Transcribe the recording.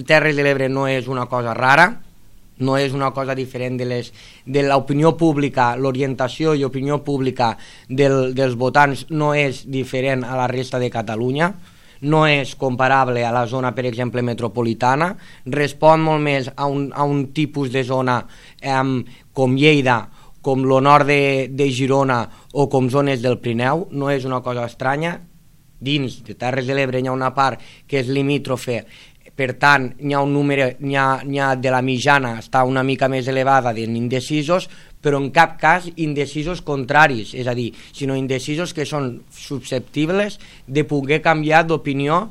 Terres de l'Ebre no és una cosa rara, no és una cosa diferent de l'opinió pública, l'orientació i opinió pública dels votants no és diferent a la resta de Catalunya, no és comparable a la zona, per exemple, metropolitana, respon molt més a un tipus de zona com Lleida, com el nord de Girona o com zones del Pirineu, no és una cosa estranya. Dins de Terres de l'Ebre hi ha una part que és limítrofe, per tant hi ha un número, n'hi ha de la mitjana, està una mica més elevada d'indecisos, però en cap cas indecisos contraris, és a dir, sinó indecisos que són susceptibles de poder canviar d'opinió